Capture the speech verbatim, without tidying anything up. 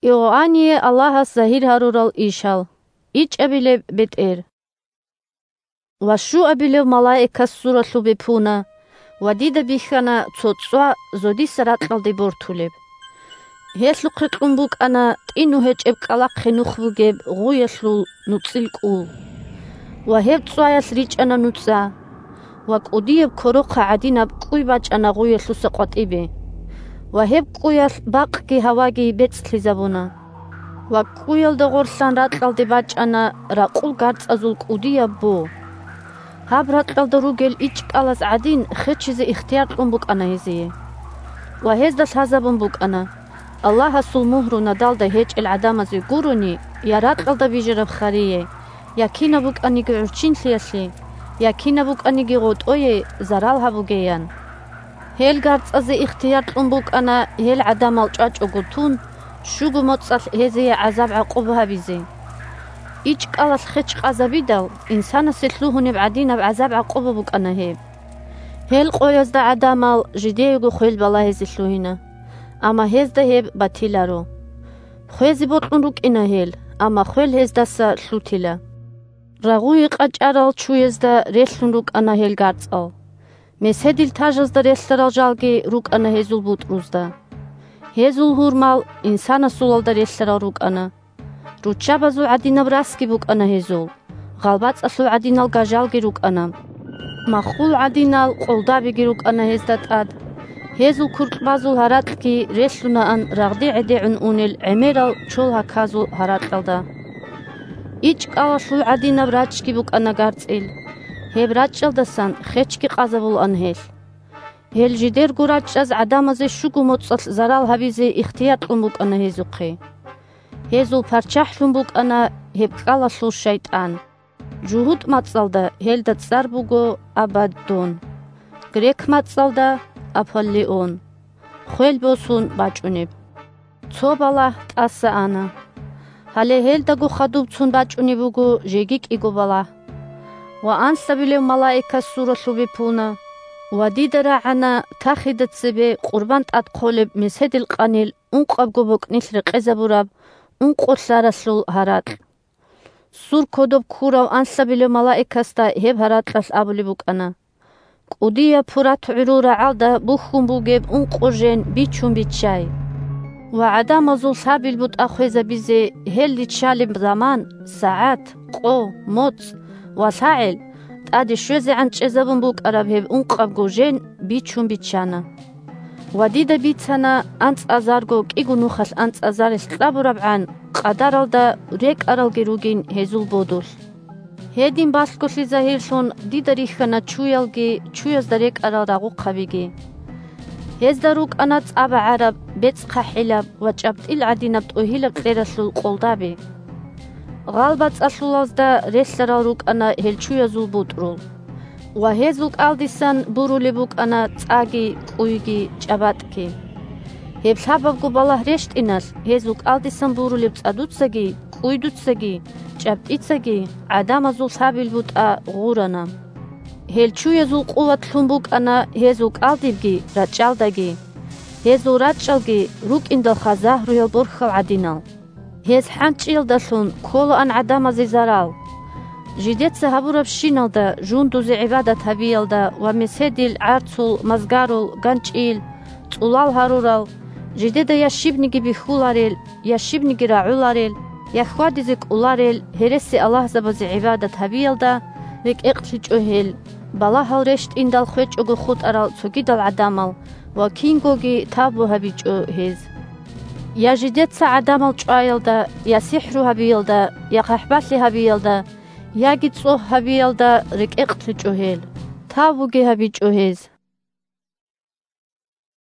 Иоанние Аллагьас загьир гьарурал ишал. ИчӀабилеб бетӀер. Ва щуабилев малаикас суралъуб бепуна, ва дида бихьана цо цӀва зодиса ракьалде бортулеб. Гьелъухъе кьун букӀана тӀину гьечӀеб кӀкӀалахъе нух бугеб гъуялъул нуцӀил кӀул. Ва гьеб цӀваялъ ричӀана нуцӀа. Ва кӀудияб корохъа гӀадинаб кӀуй бачӀана гъуялъуса къватӀибе. Ва гьеб кӀуялъ бакъги гьаваги бецӀлъизабуна. Ва кӀуялда гъорлъан ракьалде бачӀана ракъул гарцӀазул кӀудияб бо. Гьаб ракьалда ругел ичӀкӀалаз гӀадин хечизе ихтияр кьун букӀана гьезие. Ва гьезда лъазабун букӀана: Аллагьасул мугьру надалда гьечӀел гӀадамазе гурони, я ракьалда бижараб харие, я кинаб букӀаниги гӀурччинлъиялъе, я кинаб букӀаниги гъотӀое зарал гьабугеян. Гьел гарцӀазе ихтияр кьун букӀана гьел гӀадамал чӀвачӀого тун, щуго моцӀалъ гьезие гӀазаб-гӀакъуба гьабизе. ИчӀкӀалалъ хеч къазабидал, инсанасе лъугьунеб гӀадинаб гӀазаб-гӀакъуба букӀана гьеб. Гьел къоязда гӀадамал жидеего хвел балагьизе лъугьина, амма гьезда гьеб батиларо. Хвезе бокьун рукӀина гьел, амма хвел гьездаса лъутила. Рагъуе къачӀарал чуязда релълъун рукӀана гьел гарцӀал. Меседил тажазда релълъарал жалги рукӀана гьезул бутӀрузда. Гьезул гьурмал инсанасулалда релълъарал рукӀана. Руччабазул гӀадинаб расги букӀана гьезул, гъалбацӀалъул гӀадинал гажалги рукӀана. Маххул гӀадинал къолдабиги рукӀана гьезда тӀад. Гьезул куркьбазул гьаракьги релълъунаан рагъде гӀедегӀун унел гӀемерал чол гьаказул гьаракьалда. ИчӀкӀалалъул гӀадинаб рачӀги букӀана гарцӀил. Гьеб рачӀалдасан хечги къазабулаан гьелъ. Гьел жидерго рачӀаз гӀадамазе щуго моцӀалъ зарал гьабизе ихтияр кьун букӀана гьезухъе. Гьезул парччахӀлъун букӀана гьеб кӀкӀалалъул шайтӀан. ЖугьутӀ мацӀалда гьелда цӀар буго Абаддон, грек мацӀалда Аполлион, хвел босун бачӀунеб. Цо балагь тӀаса ана. Гьале гьелдаго хадуб цун бачӀунеб буго жеги кӀиго балагь. Ва анлъабилев малаикас суралъуб бепуна, ва дида рагӀана тахида цебе къурбан тӀад хъолеб меседил къанил ункъабго бокӀнилъ рекъезабураб ункъо лъаралъул гьаракь. Сур кодоб ккурав анлъабилев малаикасда гьеб гьаракьалъ абулеб букӀана: «КӀудияб Пурат гӀурул рагӀалда бухьун бугеб ункъо жен бичун биччай. Ва гӀадамазул лъабил бутӀа хвезабизе гьел риччалеб заман, сагӀат, къо, моцӀ ва лъагӀел тӀаде щвезегӀан чӀезабун букӀараб гьеб ункъабго жен бичун биччана». Ва дида бицана анцӀазарго кӀиго нухалъ анцӀазарилъ кьабурабгӀан къадаралда рекӀаралги ругин гьезул бодулъ. Гьедин балъголъи загьирлъун дида рихьана чуялги чуязда рекӀарал рагъухъабиги. Гьезда рукӀана цӀа багӀараб, бецӀ хъахӀилаб ва чӀабтӀил гӀадинаб тӀогьилаб кьералъул къолдаби. ГъалбацӀалъулазда релълъарал рукӀана гьел чуязул бутӀрул. Ва гьезул кӀалдисан бурулеб букӀана цӀаги, кӀуйги, чӀабатӀги. Гьеб лъабабго балагь рещтӀиналъ, гьезул кӀалдисан бурулеб цӀадуцаги, кӀуйдуцаги, чӀабтӀицаги гӀадамазул лъабил бутӀа гъурана. Гьел чуязул къуват лъун букӀана гьезул кӀалдибги рачӀалдаги. Гьезул рачӀалги рукӀиндалха загьруял борхьал гӀадинал. Гьез хӀанчӀиялдалъун кколаан гӀадамазе зарал. Жидеца гьабурабщиналда, жундузе гӀибадат гьабиялда ва меседил, гӀарцул, мазгарул, ганчӀил, цӀулал гьарурал, жидеда я щибниги бихьуларел, я щибниги рагӀуларел, я хьвадизе кӀоларел гьересиаллагьзабазе гӀибадат гьабиялда рекӀекълъичӀо гьел, балагьал рещтӀиндал хвечӀого хутӀарал цогидал гӀадамал ва кингоги тавбу гьабичӀо гьез. Я жидеца гӀадамал чӀваялда, я сихӀру гьабиялда, я хъахӀбалъи гьабиялда, яги цӀогь гьабиялда рекӀекълъичӀо гьел, тавбуги гьабичӀо гьез.